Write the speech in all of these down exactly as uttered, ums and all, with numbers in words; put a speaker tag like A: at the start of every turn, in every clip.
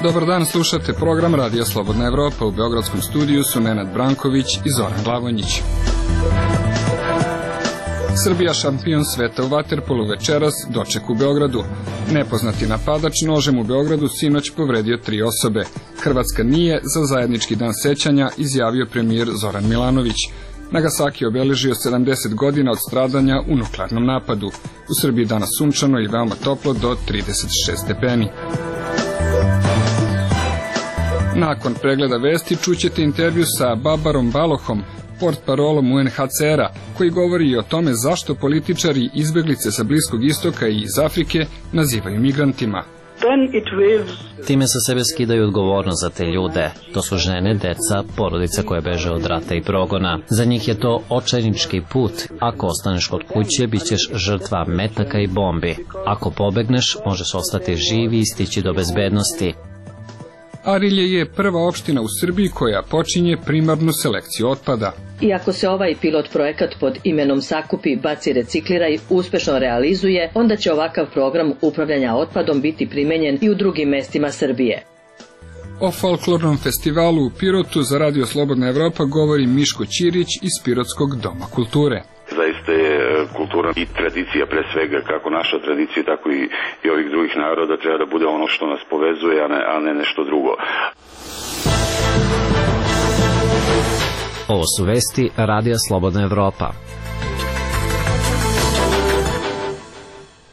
A: Dobar dan, slušate program Radija Slobodna Evropa. U beogradskom studiju su Nenad Branković i Zoran Glavonjić. Srbija šampion sveta u vaterpolu, večeras doček u Beogradu. Nepoznati napadač nožem u Beogradu sinoć povredio tri osobe. Hrvatska nije za zajednički dan sećanja, izjavio premijer Zoran Milanović. Nagasaki obeležio sedamdeset godina od stradanja u nuklearnom napadu. U Srbiji danas sunčano i veoma toplo do trideset šest stepeni. Nakon pregleda vesti čućete intervju sa Babarom Balohom, portparolom U N H C R-a, koji govori i o tome zašto političari izbeglice sa Bliskog istoka i iz Afrike nazivaju migrantima.
B: Time sa sebe skidaju odgovornost za te ljude. To su žene, deca, porodica koje beže od rata i progona. Za njih je to očajnički put. Ako ostaneš kod kuće, bit ćeš žrtva metaka i bombi. Ako pobegneš, možeš ostati živ i stići do bezbednosti.
A: Arilje je prva opština u Srbiji koja počinje primarnu selekciju otpada.
C: Iako se ovaj pilot projekat pod imenom Sakupi, baci, recikliraj uspešno realizuje, onda će ovakav program upravljanja otpadom biti primenjen i u drugim mestima Srbije.
A: O folklornom festivalu u Pirotu za Radio Slobodna Evropa govori Miško Ćirić iz Pirotskog doma kulture.
D: Zaista je kultura i tradicija, pre svega kako naša tradicija, tako i, i ovih drugih naroda, treba da bude ono što nas povezuje, a ne, a ne nešto drugo.
B: Ovo su vesti Radija Slobodna Evropa.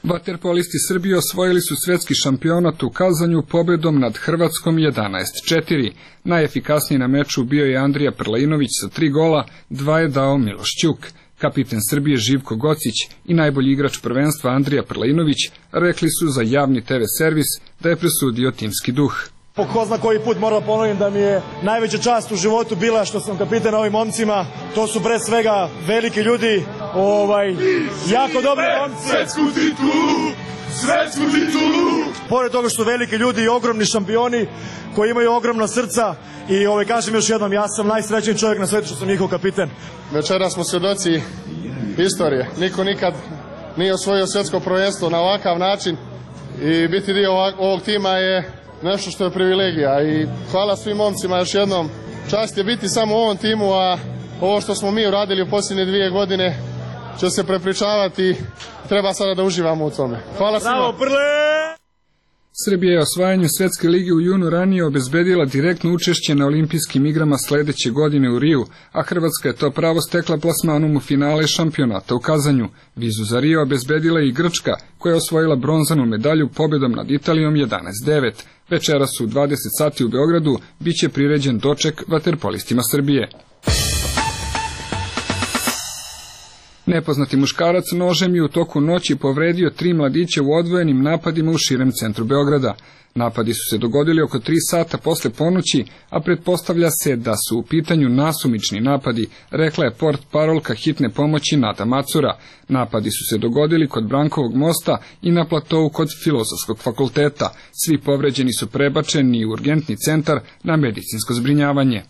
A: Vaterpolisti Srbije osvojili su svetski šampionat u Kazanju pobedom nad Hrvatskom jedanaest četiri. Najefikasniji na meču bio je Andrija Prlainović sa tri gola, dva je dao Miloš Ćuk. Kapiten Srbije Živko Gocić i najbolji igrač prvenstva Andrija Prlainović rekli su za javni te ve servis da je presudio timski duh.
E: Po ko zna koji put moram da ponovim da mi je najveća čast u životu bila što sam kapiten ovim momcima. To su pre svega veliki ljudi, ovaj, jako dobri momci.
F: Svetsku titulu! Svetsku titulu!
E: Pored toga što su veliki ljudi i ogromni šampioni koji imaju ogromna srca i ovaj, kažem još jednom, ja sam najsrećniji čovjek na svetu što sam njihov kapiten.
G: Večera smo svjedoci istorije. Niko nikad nije osvojio svjetsko prvenstvo na ovakav način i biti dio ovog tima je nešto što je privilegija i hvala svim momcima još jednom. Čast je biti samo u ovom timu, a ovo što smo mi uradili u posljednje dvije godine će se prepričavati. Treba sada da uživamo u tome. Hvala svima.
E: Bravo, Prle!
A: Srbija je osvajanju Svetske lige u junu ranije obezbedila direktno učešće na olimpijskim igrama sledeće godine u Riju, a Hrvatska je to pravo stekla plasmanom u finale šampionata u Kazanju. Vizu za Rio obezbedila i Grčka, koja je osvojila bronzanu medalju pobedom nad Italijom jedanaest devet. Večeras u dvadeset sati u Beogradu biće priređen doček vaterpolistima Srbije. Nepoznati muškarac nožem je u toku noći povredio tri mladića u odvojenim napadima u širem centru Beograda. Napadi su se dogodili oko tri sata posle ponoći, a pretpostavlja se da su u pitanju nasumični napadi, rekla je portparolka hitne pomoći Nada Macura. Napadi su se dogodili kod Brankovog mosta i na platovu kod Filozofskog fakulteta. Svi povređeni su prebačeni u urgentni centar na medicinsko zbrinjavanje.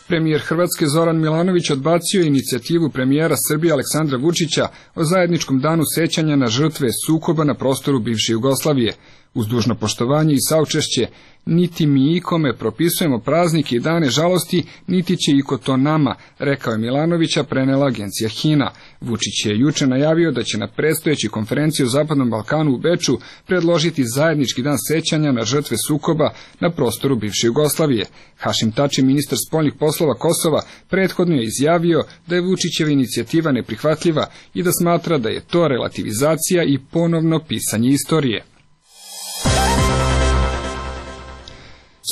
A: Premijer Hrvatske Zoran Milanović odbacio inicijativu premijera Srbije Aleksandra Vučića o zajedničkom danu sećanja na žrtve sukoba na prostoru bivše Jugoslavije. Uz dužno poštovanje i saučešće, niti mi ikome propisujemo praznike i dane žalosti, niti će iko to nama, rekao je Milanovića, prenela agencija HINA. Vučić je juče najavio da će na predstojećoj konferenciji o Zapadnom Balkanu u Beču predložiti zajednički dan sećanja na žrtve sukoba na prostoru bivše Jugoslavije. Hašim Tači, ministar spoljnih poslova Kosova, prethodno je izjavio da je Vučićeva inicijativa neprihvatljiva i da smatra da je to relativizacija i ponovno pisanje istorije.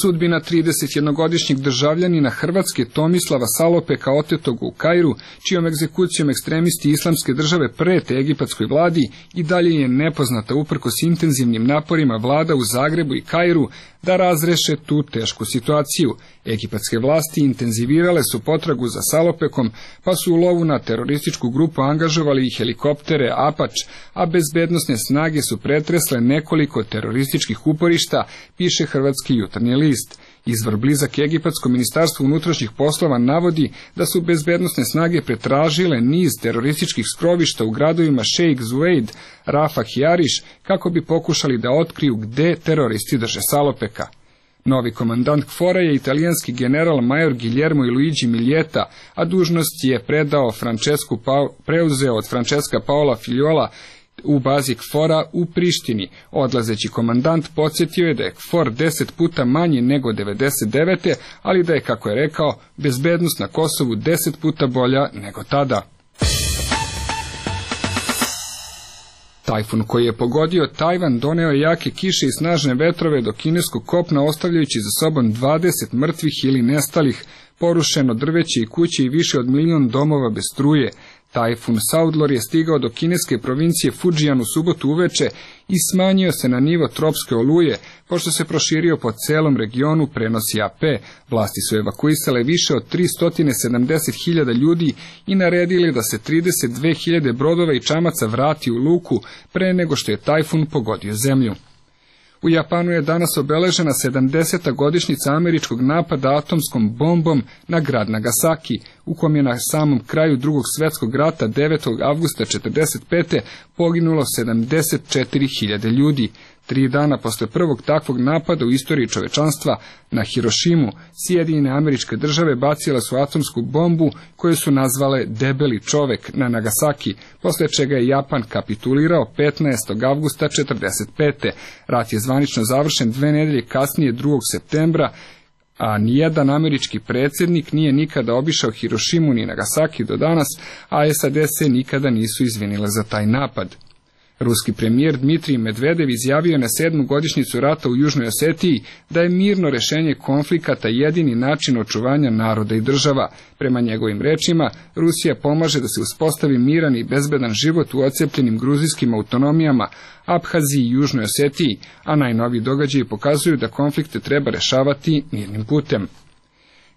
A: Sudbina tridesetjednogodišnjeg državljanina Hrvatske Tomislava Salopeka otetog u Kairu, čijom egzekucijom ekstremisti islamske države prete egipatskoj vladi, i dalje je nepoznata uprkos intenzivnim naporima vlada u Zagrebu i Kairu da razreše tu tešku situaciju. Egipatske vlasti intenzivirale su potragu za Salopekom, pa su u lovu na terorističku grupu angažovali i helikoptere Apač, a bezbednosne snage su pretresle nekoliko terorističkih uporišta, piše Hrvatski jutarnji list. List. Izvor blizak Egipatskom ministarstvu unutrašnjih poslova navodi da su bezbednosne snage pretražile niz terorističkih skrovišta u gradovima Sheikh Zuweid, Rafah i Ariš kako bi pokušali da otkriju gde teroristi drže salopeka. Novi komandant KFOR-a je italijanski general major Guillermo Luigi Miljeta, a dužnost je predao Francesku pa, preuzeo od Francesca Paola Filiola u bazi KFOR-a u Prištini. Odlazeći komandant podsjetio je da je KFOR deset puta manji nego devedeset devete. ali da je, kako je rekao, bezbednost na Kosovu deset puta bolja nego tada. Tajfun koji je pogodio Tajvan doneo je jake kiše i snažne vetrove do kineskog kopna, ostavljajući za sobom dvadeset mrtvih ili nestalih, porušeno drveće i kuće i više od milion domova bez struje. Tajfun Saudlor je stigao do kineske provincije Fujian u subotu uveče i smanjio se na nivo tropske oluje, pošto se proširio po celom regionu, prenosi A P. Vlasti su evakuisale više od tristo sedamdeset hiljada ljudi i naredili da se trideset dve hiljade brodova i čamaca vrati u luku pre nego što je tajfun pogodio zemlju. U Japanu je danas obeležena sedamdeseta godišnjica američkog napada atomskom bombom na grad Nagasaki, u kom je na samom kraju drugog svjetskog rata devetog avgusta četrdeset pete poginulo sedamdeset četiri hiljade ljudi. Tri dana posle prvog takvog napada u istoriji čovečanstva na Hirošimu, Sjedinjene Američke Države bacile su atomsku bombu koju su nazvale Debeli čovek na Nagasaki, posle čega je Japan kapitulirao petnaestog avgusta četrdeset pete. Rat je zvanično završen dve nedelje kasnije, drugog septembra, a nijedan američki predsjednik nije nikada obišao Hirošimu ni Nagasaki do danas, a S A D se nikada nisu izvinile za taj napad. Ruski premijer Dmitrij Medvedev izjavio na sedmu godišnjicu rata u Južnoj Osetiji da je mirno rešenje konflikata jedini način očuvanja naroda i država. Prema njegovim rečima, Rusija pomaže da se uspostavi miran i bezbedan život u ocepljenim gruzijskim autonomijama, Abhaziji i Južnoj Osetiji, a najnoviji događaji pokazuju da konflikte treba rešavati mirnim putem.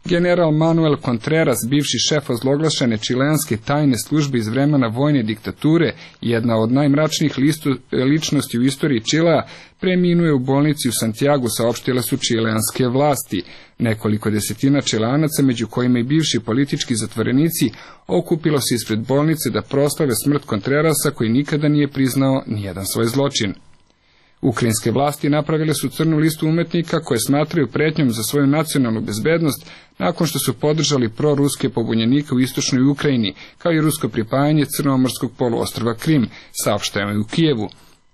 A: General Manuel Contreras, bivši šef ozloglašene čileanske tajne službe iz vremena vojne diktature, jedna od najmračnijih listu, ličnosti u istoriji Čilea, preminuje u bolnici u Santiagu, saopštile su čileanske vlasti. Nekoliko desetina Čileanaca, među kojima i bivši politički zatvorenici, okupilo se ispred bolnice da proslave smrt Contrerasa, koji nikada nije priznao nijedan svoj zločin. Ukrajinske vlasti napravile su crnu listu umetnika koje smatraju pretnjom za svoju nacionalnu bezbednost nakon što su podržali proruske pobunjenike u istočnoj Ukrajini, kao i rusko pripajanje crnomorskog poluostrva Krim, saopšteno u Kijevu.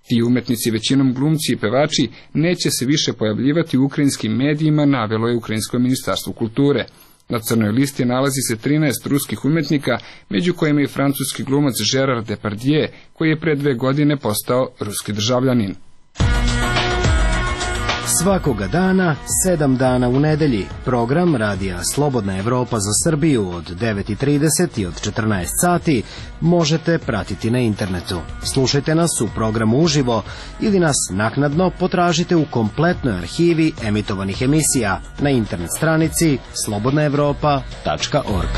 A: Ti umetnici, većinom glumci i pevači, neće se više pojavljivati u ukrajinskim medijima, navelo je Ukrajinsko ministarstvo kulture. Na crnoj listi nalazi se trinaest ruskih umetnika, među kojima i francuski glumac Gerard Depardieu, koji je pre dve godine postao ruski državljanin.
H: Svakoga dana, sedam dana u nedelji, program Radija Slobodna Evropa za Srbiju od devet i trideset i od četrnaest sati možete pratiti na internetu. Slušajte nas u programu uživo ili nas naknadno potražite u kompletnoj arhivi emitovanih emisija na internet stranici slobodna evropa tačka org.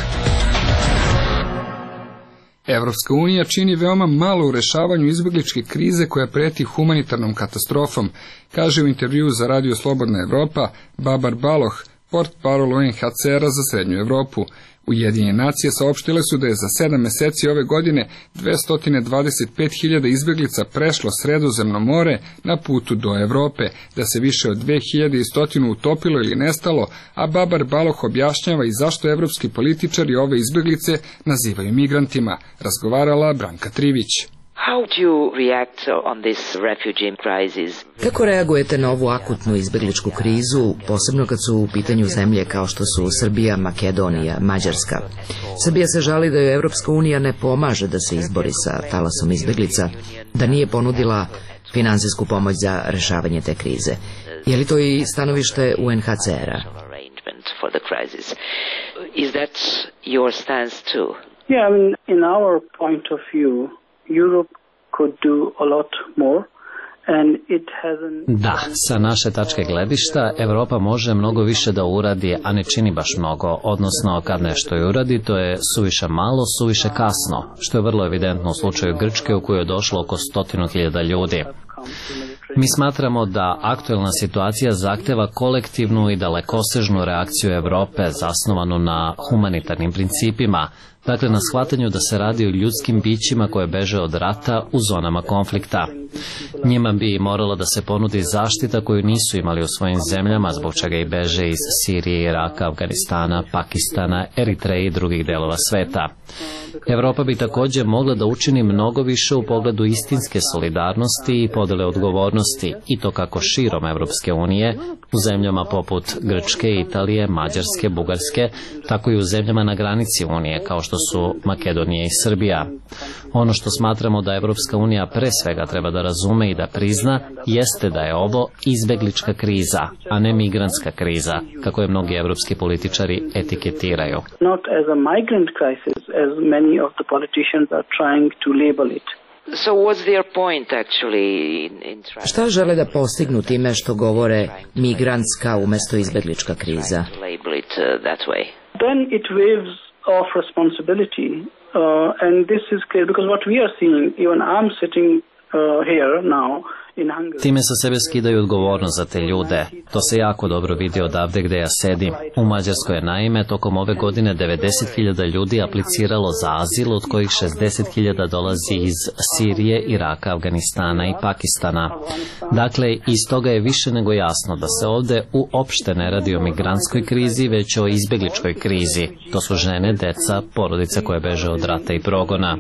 A: Evropska unija čini veoma malo u rešavanju izbegličke krize koja preti humanitarnom katastrofom, kaže u intervjuu za Radio Slobodna Evropa Babar Baloh, portparol U N H C R-a za Srednju Evropu. Ujedinjene nacije saopštile su da je za sedam meseci ove godine dvesta dvadeset pet hiljada izbeglica prešlo Sredozemno more na putu do Evrope, da se više od dve hiljade sto utopilo ili nestalo, a Babar Baloh objašnjava i zašto evropski političari ove izbeglice nazivaju migrantima. Razgovarala Branka Trivić.
I: How do you react on this refugee crisis?
J: Kako reagujete na ovu akutnu izbegličku krizu, posebno kad su u pitanju zemlje kao što su Srbija, Makedonija, Mađarska? Srbija se žali da joj Evropska unija ne pomaže da se izbori sa talasom izbeglica, da nije ponudila finansijsku pomoć za rešavanje te krize. Je li to i stanovište U N H C R-a?
I: Is that your stance too?
K: Yeah, I mean, in our point of view, Europe could do a lot more.
B: Da, sa naše tačke gledišta, Evropa može mnogo više da uradi, a ne čini baš mnogo, odnosno kad nešto i uradi, to je suviše malo, suviše kasno, što je vrlo evidentno u slučaju Grčke u kojoj je došlo oko stotinu hiljada ljudi. Mi smatramo da aktuelna situacija zahteva kolektivnu i dalekosežnu reakciju Evrope zasnovanu na humanitarnim principima, dakle na shvatanju da se radi o ljudskim bićima koje beže od rata u zonama konflikta. Njima bi moralo da se ponudi zaštita koju nisu imali u svojim zemljama, zbog čega i beže iz Sirije, Iraka, Afganistana, Pakistana, Eritreje i drugih delova sveta. Evropa bi također mogla da učini mnogo više u pogledu istinske solidarnosti i podele odgovornosti, i to kako širom Evropske unije, u zemljama poput Grčke, Italije, Mađarske, Bugarske, tako i u zemljama na granici Unije, kao što su Makedonija i Srbija. Ono što smatramo da Evropska unija pre svega treba da razume i da prizna, jeste da je ovo izbeglička kriza, a ne migrantska kriza, kako je mnogi evropski političari etiketiraju.
K: Not as a migrant crisis, as many of the politicians are trying to label it.
I: So what's their point actually in trying...
J: Šta žele da postignu time što govore migrantska umesto izbeglička kriza?
I: Label it uh, that way.
K: Then it waves off responsibility, uh, and this is clear because what we are seeing, even I'm sitting uh, here now.
B: Time sa sebe skidaju odgovornost za te ljude. To se jako dobro vidi odavde gde ja sedim. U Mađarskoj je naime tokom ove godine devedeset hiljada ljudi apliciralo za azil, od kojih šezdeset hiljada dolazi iz Sirije, Iraka, Afganistana i Pakistana. Dakle, iz toga je više nego jasno da se ovde uopšte ne radi o migrantskoj krizi, već o izbegličkoj krizi. To su žene, deca, porodice koje beže od rata i progona.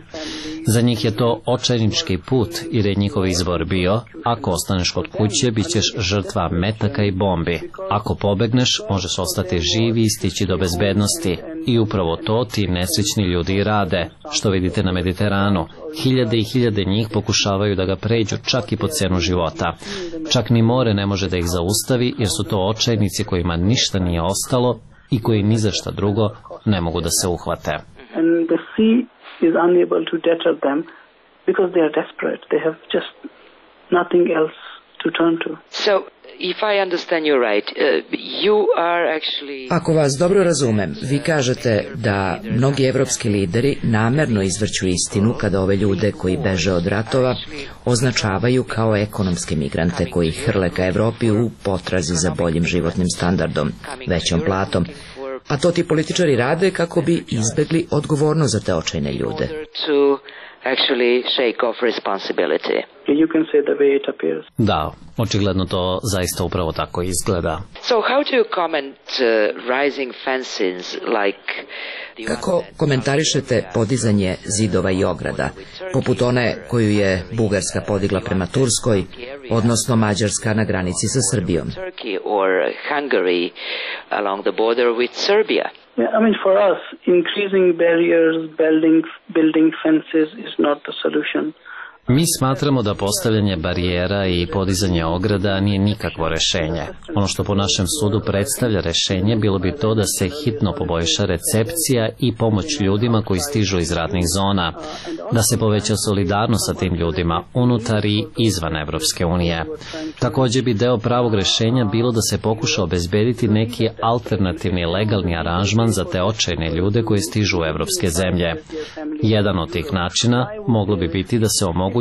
B: Za njih je to očajnički put, jer je njihov izbor bio: ako ostaneš kod kuće, bit ćeš žrtva metaka i bombi. Ako pobegneš, možeš ostati živi i stići do bezbednosti. I upravo to ti nesrećni ljudi i rade, što vidite na Mediteranu. Hiljade i hiljade njih pokušavaju da ga pređu čak i po cenu života. Čak ni more ne može da ih zaustavi, jer su to očajnici kojima ništa nije ostalo i koji ni za šta drugo ne mogu da se uhvate.
K: And the sea is unable to deter them because they are desperate. They have just nothing else to turn to.
I: So, if I understand you right, uh, you are actually...
J: Ako vas dobro razumem, vi kažete da mnogi evropski lideri namerno izvrću istinu kada ove ljude koji beže od ratova označavaju kao ekonomske migrante koji hrle ka Evropi u potrazi za boljim životnim standardom, većom platom. A to ti političari rade kako bi izbegli odgovornost za te očajne ljude.
I: Actually shake off responsibility.
K: You can say the way it appears.
B: Da, očigledno to zaista upravo tako izgleda.
I: So how do you comment uh, rising fences like...
J: Kako komentarišete podizanje zidova i ograda, poput one koju je Bugarska podigla prema Turskoj, odnosno Mađarska na granici sa Srbijom?
I: Turkey or Hungary along the border with Serbia?
K: Yeah, I mean, for us, increasing barriers, building, building fences is not the solution.
B: Mi smatramo da postavljanje barijera i podizanje ograda nije nikakvo rešenje. Ono što po našem sudu predstavlja rešenje bilo bi to da se hitno poboljša recepcija i pomoć ljudima koji stižu iz ratnih zona, da se poveća solidarnost sa tim ljudima unutar i izvan Evropske unije. Također bi deo pravog rešenja bilo da se pokuša obezbediti neki alternativni legalni aranžman za te očajne ljude koji stižu u evropske zemlje. Jedan od tih načina moglo bi biti da se omogući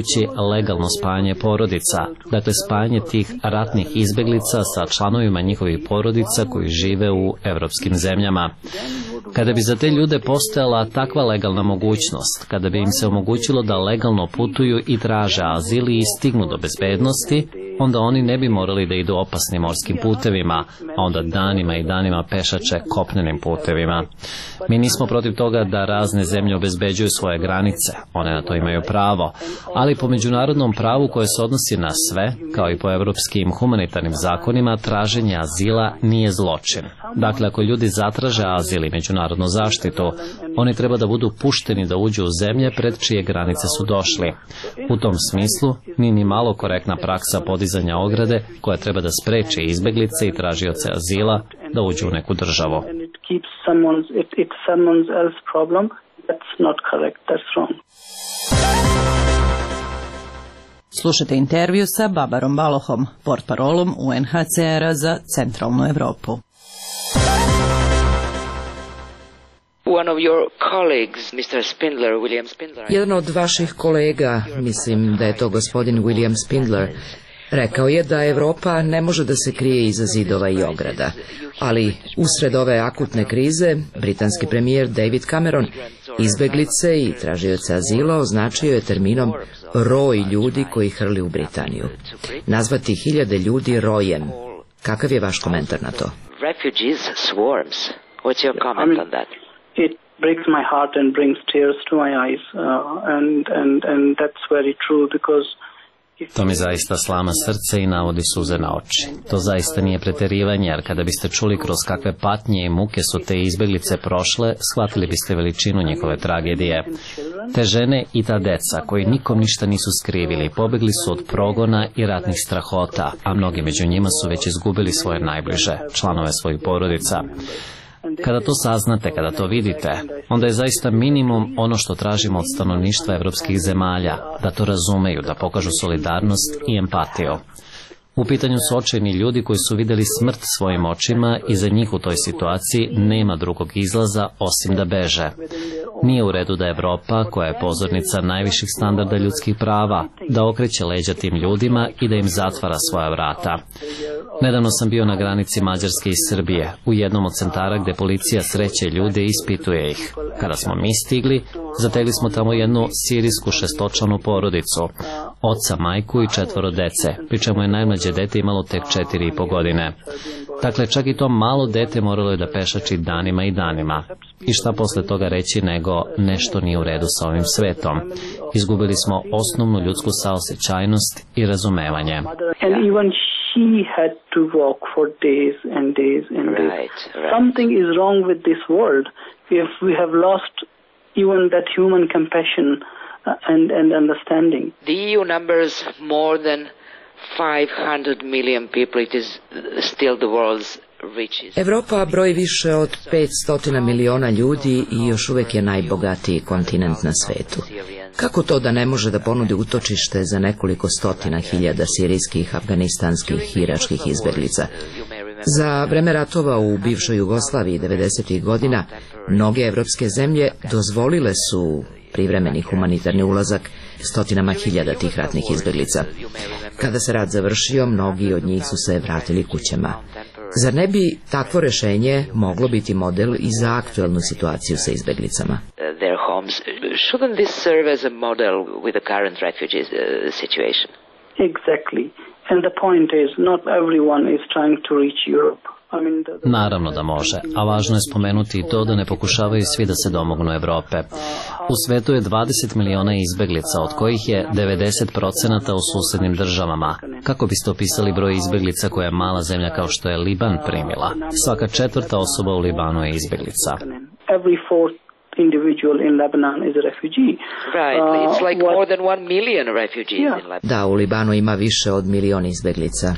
B: legalno spajanje porodica, dakle spajanje tih ratnih izbeglica sa članovima njihovih porodica koji žive u evropskim zemljama. Kada bi za te ljude postojala takva legalna mogućnost, kada bi im se omogućilo da legalno putuju i traže azil i stignu do bezbednosti, onda oni ne bi morali da idu opasnim morskim putevima, a onda danima i danima pešače kopnenim putevima. Mi nismo protiv toga da razne zemlje obezbeđuju svoje granice, one na to imaju pravo, ali po međunarodnom pravu koje se odnosi na sve, kao i po evropskim humanitarnim zakonima, traženje azila nije zločin. Dakle, ako ljudi zatraže azil i međunarodnu zaštitu, oni treba da budu pušteni da uđu u zemlje pred čije granice su došli. U tom smislu, nije ni malo korektna praksa podizanja ograde koja treba da spreči izbeglice i tražioce azila da uđu u neku državu.
L: Slušajte intervju sa Babarom Balohom, portparolom U N H C R-a za centralnu Evropu.
I: One of your colleagues, mister Spindler, William Spindler.
J: Jedan od vaših kolega, mislim da je to gospodin William Spindler, Rekao je da Evropa ne može da se krije iza zidova i ograda, ali usred ove akutne krize, britanski premijer David Cameron izbeglice i tražioce azila označio je terminom roj ljudi koji hrli u Britaniju. Nazvati hiljade ljudi rojem. Kakav je vaš komentar na to?
I: Refugees swarms. What's your comment on that?
K: It breaks my heart and brings tears to my eyes, uh, and and and that's very true because
B: To mi zaista slama srce i navodi suze na oči. To zaista nije preterivanje, jer kada biste čuli kroz kakve patnje i muke su te izbeglice prošle, shvatili biste veličinu njihove tragedije. Te žene i ta deca, koji nikom ništa nisu skrivili, pobegli su od progona i ratnih strahota, a mnogi među njima su već izgubili svoje najbliže, članove svojih porodica. Kada to saznate, kada to vidite, onda je zaista minimum ono što tražimo od stanovništva evropskih zemalja, da to razumeju, da pokažu solidarnost i empatiju. U pitanju su očajni ljudi koji su vidjeli smrt svojim očima i za njih u toj situaciji nema drugog izlaza osim da beže. Nije u redu da Evropa, koja je pozornica najviših standarda ljudskih prava, da okreće leđa tim ljudima i da im zatvara svoja vrata. Nedavno sam bio na granici Mađarske i Srbije, u jednom od centara gde policija sreće ljude i ispituje ih. Kada smo mi stigli, zategli smo tamo jednu sirijsku šestočlanu porodicu, oca, majku i četvoro dece, pri čemu je najmlađe dete imalo tek četiri i po godine. Dakle, čak i to malo dete moralo je da pešači danima i danima. I šta posle toga reći nego nešto nije u redu sa ovim svetom. Izgubili smo osnovnu ljudsku saosećajnost i razumevanje.
K: She had to walk for days and days and days. Right, right. Something is wrong with this world if we have lost even that human compassion and, and understanding.
I: The E U numbers more than five hundred million people. It is still the world's richest.
J: Evropa broji više od petsto miliona ljudi i još uvijek je najbogatiji kontinent na svetu. Kako to da ne može da ponudi utočište za nekoliko stotina hiljada sirijskih, afganistanskih i iračkih izbeglica? Za vreme ratova u bivšoj Jugoslaviji devedesetih godina mnoge evropske zemlje dozvolile su privremeni humanitarni ulazak stotinama hiljada tih ratnih izbeglica. Kada se rat završio, mnogi od njih su se vratili kućama. Zar ne bi takvo rešenje moglo biti model i za aktuelnu situaciju sa izbeglicama?
I: Their homes. Shouldn't this serve as a model with the current refugee situation?
K: Exactly. And the point is, not everyone is trying to reach Europe.
B: Naravno da može, a važno je spomenuti i to da ne pokušavaju svi da se domognu Evrope. U svetu je dvadeset miliona izbeglica, od kojih je devedeset procenata u susednim državama. Kako biste opisali broj izbeglica koje je mala zemlja kao što je Liban primila? Svaka četvrta osoba u Libanu je izbeglica.
K: Individual in Lebanon is a refugee.
I: Right, it's like uh, more than one million refugees yeah. in Lebanon.
J: Da, u Libanu ima više od milion izbeglica.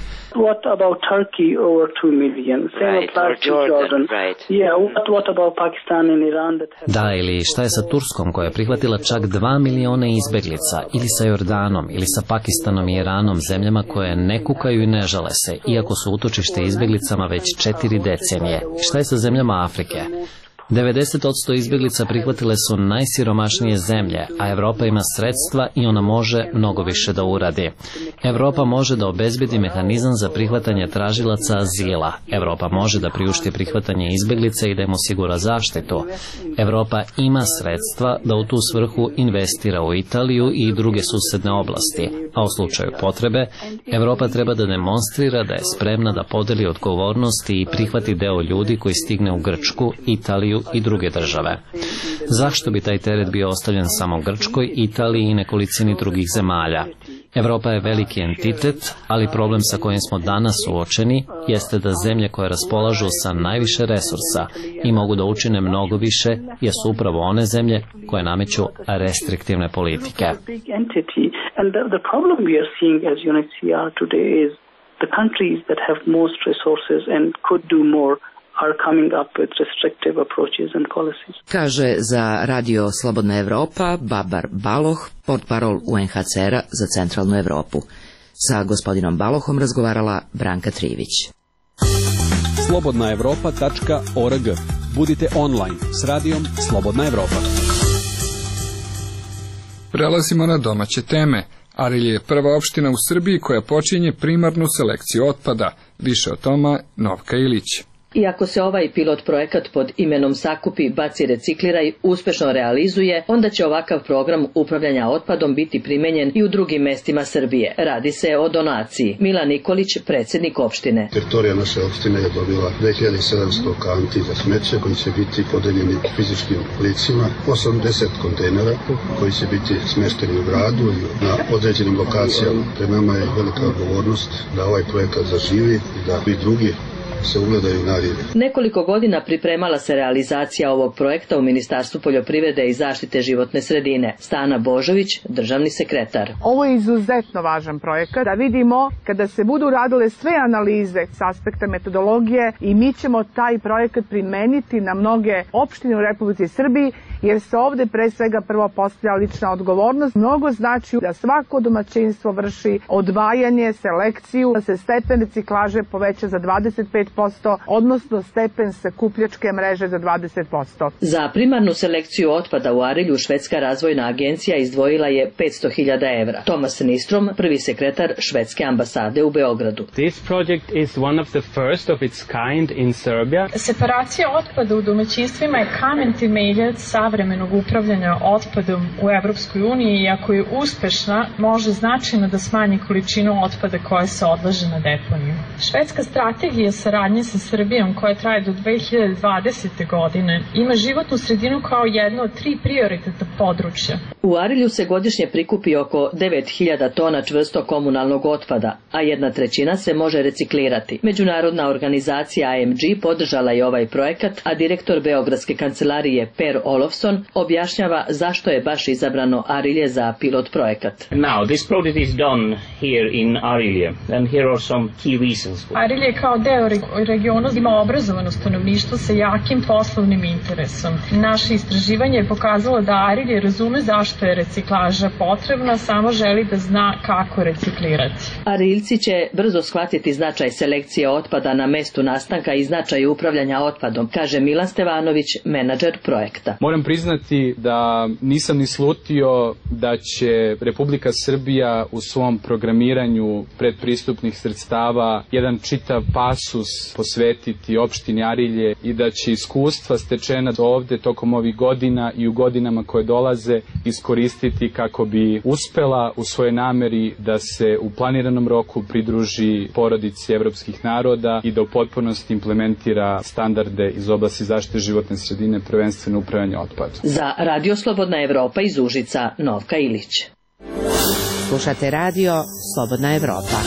K: What about Turkey over two million? Same
I: right,
K: applies to
I: Jordan,
K: Jordan.
I: Right.
K: Yeah, what, what about Pakistan and Iran that have...
B: Da, ili šta je sa Turskom koja je prihvatila čak dva miliona izbeglica, ili sa Jordanom, ili sa Pakistanom i Iranom, zemljama koje ne kukaju i ne žale se, iako su utočište izbeglicama već četiri decenije. Šta je sa zemljama Afrike? devedeset posto izbjeglica prihvatile su najsiromašnije zemlje, a Evropa ima sredstva i ona može mnogo više da uradi. Evropa može da obezbedi mehanizam za prihvatanje tražilaca azila. Evropa može da priušti prihvatanje izbjeglica i da im osigura zaštitu. Evropa ima sredstva da u tu svrhu investira u Italiju i druge susedne oblasti, a u slučaju potrebe, Evropa treba da demonstrira da je spremna da podeli odgovornosti i prihvati deo ljudi koji stigne u Grčku, Italiju i druge države. Zašto bi taj teret bio ostavljen samo Grčkoj, Italiji i nekolicini drugih zemalja? Evropa je veliki entitet, ali problem sa kojim smo danas suočeni jeste da zemlje koje raspolažu sa najviše resursa i mogu da učine mnogo više jesu upravo one zemlje koje nameću restriktivne politike.
K: The countries that have most resources and could do more are coming up with restrictive approaches and policies.
J: Kaže za Radio Slobodna Evropa Babar Baloh, portparol U N H C R-a za centralnu Evropu. Sa gospodinom Balohom razgovarala Branka Trivić.
M: slobodna evropa tačka org. Budite online s radijom Slobodna Evropa.
A: Prelazimo na domaće teme. Arilje je prva opština u Srbiji koja počinje primarnu selekciju otpada. Više o tome Novka Ilić.
C: Iako se ovaj pilot projekat pod imenom Sakupi, baci, recikliraj uspešno realizuje, onda će ovakav program upravljanja otpadom biti primenjen i u drugim mestima Srbije. Radi se o donaciji. Milan Nikolić, predsjednik opštine.
N: Teritorija naše opštine je dobila dve hiljade sedamsto kanti za smeće koji će biti podeljeni fizičkim licima, osamdeset kontejnera koji će biti smešteni u gradu i na određenim lokacijama. Pred nama je velika odgovornost da ovaj projekat zaživi i da i drugi se ugledaju na Arilje.
C: Nekoliko godina pripremala se realizacija ovog projekta u Ministarstvu poljoprivrede i zaštite životne sredine. Stana Božović, državni sekretar.
O: Ovo je izuzetno važan projekat da vidimo kada se budu radile sve analize s aspekta metodologije i mi ćemo taj projekat primeniti na mnoge opštine u Republici Srbiji, jer se ovde pre svega prvo postavlja lična odgovornost. Mnogo znači da svako domaćinstvo vrši odvajanje, selekciju, da se stepen reciklaže poveća za dvadeset pet posto, odnosno stepen sakupljačke mreže za dvadeset posto.
C: Za primarnu selekciju otpada u Arilju Švedska razvojna agencija izdvojila je petsto hiljada evra. Tomas Nistrom, prvi sekretar švedske ambasade u Beogradu.
P: This project is one of the first of its kind in Serbia.
Q: Separacija otpada u domaćinstvima je kamen temeljac savremenog upravljanja otpadom u Evropskoj uniji i ako je uspešna, može značajno da smanji količinu otpada koja se odlaže na deponiju. Švedska strategija saradnje sa Srbijom koja traje do dve hiljade dvadesete. godine ima životnu sredinu kao jedno od tri prioritetna područja.
C: U Arilju se godišnje prikupi oko devet hiljada tona čvrsto komunalnog otpada, a jedna trećina se može reciklirati. Međunarodna organizacija A M G podržala je ovaj projekat, a direktor Beogradske kancelarije Per Olofsson objašnjava zašto je baš izabrano Arilje za pilot projekat.
P: Now, this project is done here in Arilje, and here are some key reasons.
Q: Arilje kao deo regiona ima obrazovano stanovništvo sa jakim poslovnim interesom. Naše istraživanje je pokazalo da Arilje razume zašto je reciklaža potrebna, samo želi da zna kako reciklirati.
C: Ariljci će brzo shvatiti značaj selekcije otpada na mestu nastanka i značaj upravljanja otpadom, kaže Milan Stevanović, menadžer projekta.
R: Moram priznati da nisam ni slutio da će Republika Srbija u svom programiranju predpristupnih sredstava jedan čitav pasus posvetiti opštini Arilje i da će iskustva stečena ovde tokom ovih godina i u godinama koje dolaze iskoristiti kako bi uspela u svojoj nameri da se u planiranom roku pridruži porodici evropskih naroda i da u potpunosti implementira standarde iz oblasti zaštite životne sredine, prvenstveno upravljanje otpadom.
C: Za Radio Slobodna Evropa iz Užica, Novka Ilić.
J: Slušate radio Slobodna Evropa.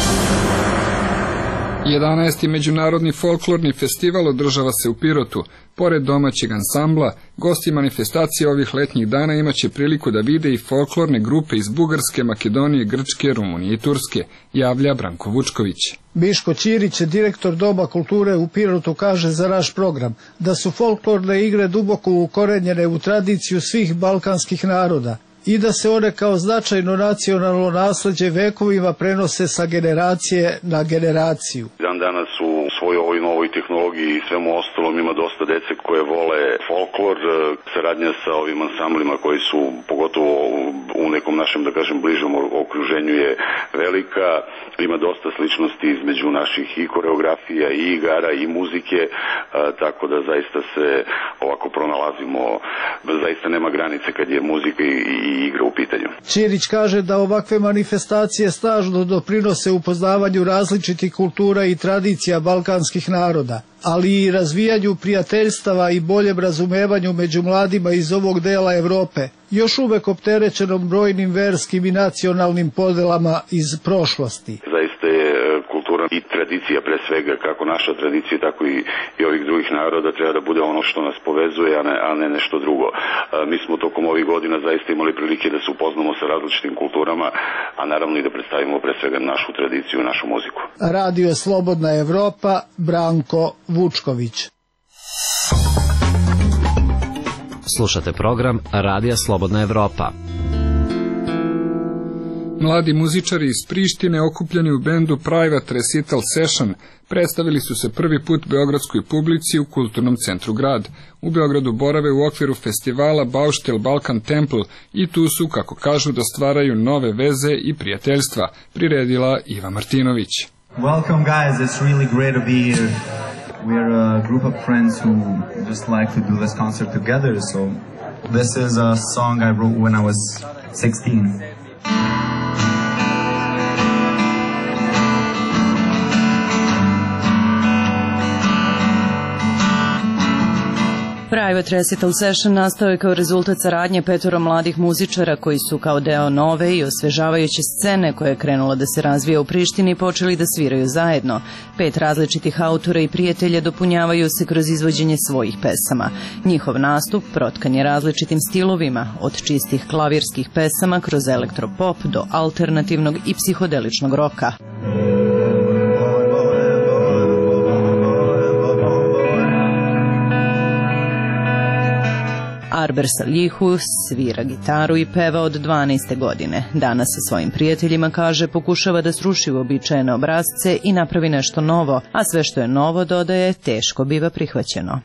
A: jedanaesti. Međunarodni folklorni festival održava se u Pirotu. Pored domaćeg ansambla, gosti manifestacije ovih letnjih dana imaće priliku da vide i folklorne grupe iz Bugarske, Makedonije, Grčke, Rumunije i Turske, javlja Branko Vučković.
S: Biško Ćirić, direktor Doma kulture u Pirotu, kaže za naš program da su folklorne igre duboko ukorenjene u tradiciju svih balkanskih naroda i da se one kao značajno nacionalno nasleđe vekovima prenose sa generacije na generaciju.
D: Dan danas u svojoj ovoj novoj tehnologiji i svemu ostalom ima dosta dece koje vole folklor, saradnja sa ovim ansamblima koji su pogotovo u nekom našem, da kažem, bližom okruženju je velika. Ima dosta sličnosti između naših i koreografija i igara i muzike, a, tako da zaista se ovako pronalazimo, zaista nema granice kad je muzika i, i igra u pitanju.
S: Ćirić kaže da ovakve manifestacije snažno doprinose upoznavanju različitih kultura i tradicija balkanskih naroda, ali i razvijanju prijateljstava i boljem razumevanju među mladima iz ovog dela Evrope, još uvek opterećenom brojnim verskim i nacionalnim podelama iz prošlosti.
D: Zaista je kultura i tradicija, pre svega kako naša tradicija, tako i, i ovih drugih naroda treba da bude ono što nas povezuje, a ne, a ne nešto drugo. A, mi smo tokom ovih godina zaista imali prilike da se upoznamo sa različitim kulturama, a naravno i da predstavimo pre svega našu tradiciju i našu muziku.
S: Radio Slobodna Evropa, Branko Vučković.
B: Slušate program Radija Slobodna Evropa.
A: Mladi muzičari iz Prištine okupljeni u bendu Private Recital Session predstavili su se prvi put beogradskoj publici u Kulturnom centru Grad. U Beogradu borave u okviru festivala Bauštel Balkan Temple i tu su, kako kažu, da stvaraju nove veze i prijateljstva, priredila Iva Martinović.
T: Welcome guys, it's really great to be here. We're a group of friends who just like to do this concert together, so this is a song I wrote when I was sixteen.
L: Private Recital Session nastao je kao rezultat saradnje petoro mladih muzičara koji su kao deo nove i osvežavajuće scene koja je krenula da se razvija u Prištini počeli da sviraju zajedno. Pet različitih autora i prijatelja dopunjavaju se kroz izvođenje svojih pesama. Njihov nastup protkan je različitim stilovima, od čistih klavirskih pesama kroz elektropop do alternativnog i psihodeličnog roka. Arber Salihu svira gitaru i peva od dvanaeste godine. Danas sa svojim prijateljima, kaže, pokušava da sruši uobičajene obrasce i napravi nešto novo, a sve što je novo, dodaje, teško biva prihvaćeno.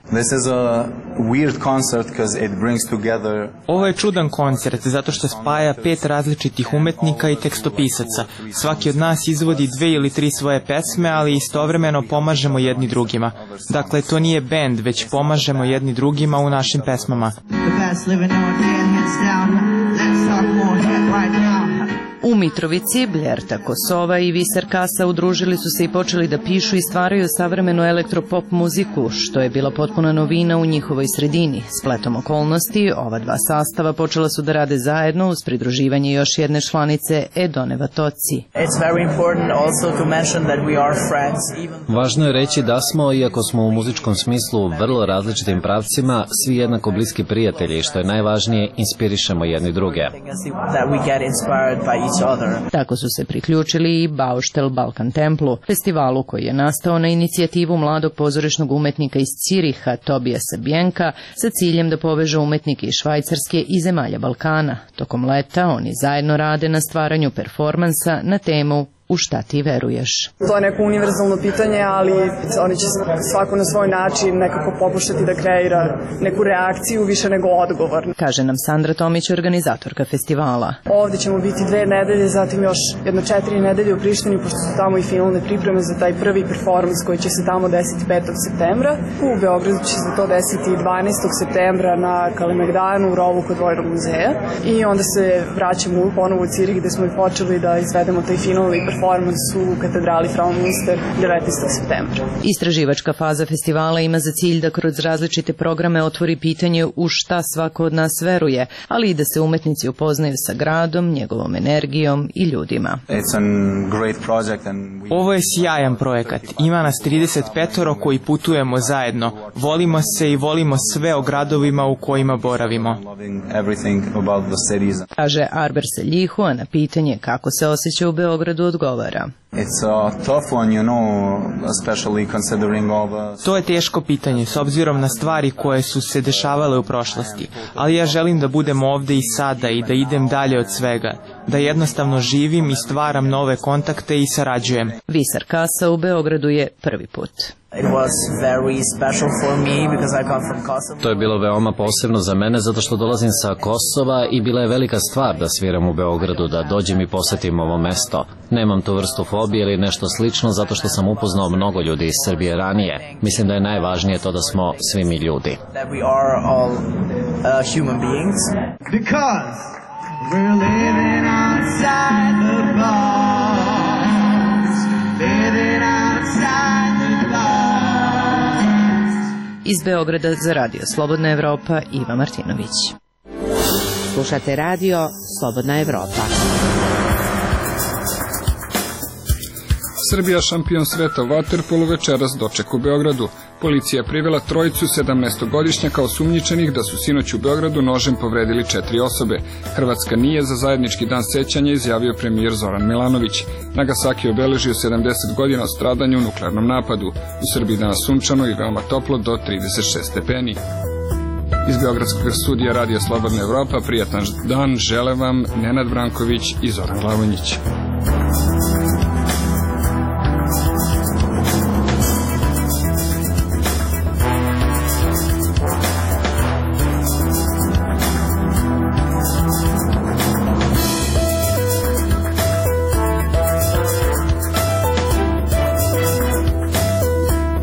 U: Ovo je čudan koncert zato što spaja pet različitih umetnika i tekstopisaca. Svaki od nas izvodi dve ili tri svoje pesme, ali istovremeno pomažemo jedni drugima. Dakle, to nije bend, već pomažemo jedni drugima u našim pesmama.
L: U Mitrovici Bljerta Kosova i Visar Kasa udružili su se i počeli da pišu i stvaraju savremenu elektropop muziku, što je bila potpuna novina u njihovoj sredini. Spletom okolnosti, ova dva sastava počela su da rade zajedno uz pridruživanje još jedne članice Edone Vatoci.
B: Važno je reći da smo, iako smo u muzičkom smislu u vrlo različitim pravcima, svi jednako bliski prijatelji, što je najvažnije, inspirišemo jedni druge.
L: Tako su se priključili i Bauštel Balkan Templu, festivalu koji je nastao na inicijativu mladog pozorišnog umetnika iz Ciriha, Tobijasa Bjenka, sa ciljem da poveže umetnike iz Švajcarske i zemalja Balkana. Tokom leta oni zajedno rade na stvaranju performansa na temu U šta ti veruješ?
V: To je neko univerzalno pitanje, ali oni će svako na svoj način nekako pokušati da kreira neku reakciju više nego odgovor.
L: Kaže nam Sandra Tomić, organizatorka festivala.
V: Ovdje ćemo biti dve nedelje, zatim još jedno četiri nedelje u Prištini, pošto su tamo i finalne pripreme za taj prvi performans koji će se tamo desiti petog septembra. U Beogradu će se to desiti dvanaestog septembra na Kalemegdanu u rovu kod Vojnog muzeja. I onda se vraćamo ponovo u Cirih gde smo i počeli da izvedemo taj finalni performans u katedrali Frau Münster devetnaestog septembra.
L: Istraživačka faza festivala ima za cilj da kroz različite programe otvori pitanje u šta svako od nas veruje, ali i da se umetnici upoznaju sa gradom, njegovom energijom i ljudima.
U: Ovo je sjajan projekat. Ima nas trideset petoro koji putujemo zajedno. Volimo se i volimo sve o gradovima u kojima boravimo.
L: Kaže Arber Seljihu, a na pitanje kako se osjeća u Beogradu odgovara.
U: To je teško pitanje s obzirom na stvari koje su se dešavale u prošlosti, ali ja želim da budem ovde i sada i da idem dalje od svega, da jednostavno živim i stvaram nove kontakte i sarađujem.
L: Visar Kasa u Beogradu je prvi put.
B: To je bilo veoma posebno za mene zato što dolazim sa Kosova i bila je velika stvar da sviram u Beogradu, da dođem i posetim ovo mesto. Nemam tu vrstu fobije ili nešto slično zato što sam upoznao mnogo ljudi iz Srbije ranije. Mislim da je najvažnije to da smo svi mi ljudi.
L: Iz Beograda za Radio Slobodna Evropa, Iva Martinović.
J: Slušate radio Slobodna Evropa.
A: Srbija šampion sveta u vaterpolu večeras doček u Beogradu. Policija je privela trojicu sedamnaestogodišnjaka osumnjičenih da su sinoć u Beogradu nožem povredili četiri osobe. Hrvatska nije za zajednički dan sećanja, izjavio premijer Zoran Milanović. Nagasaki je obeležio sedamdeset godina od stradanja u nuklearnom napadu. U Srbiji danas sunčano i veoma toplo do trideset šest stepeni. Iz Beogradskog studija Radio Slobodna Evropa prijatan dan žele vam Nenad Branković i Zoran Glavonjić.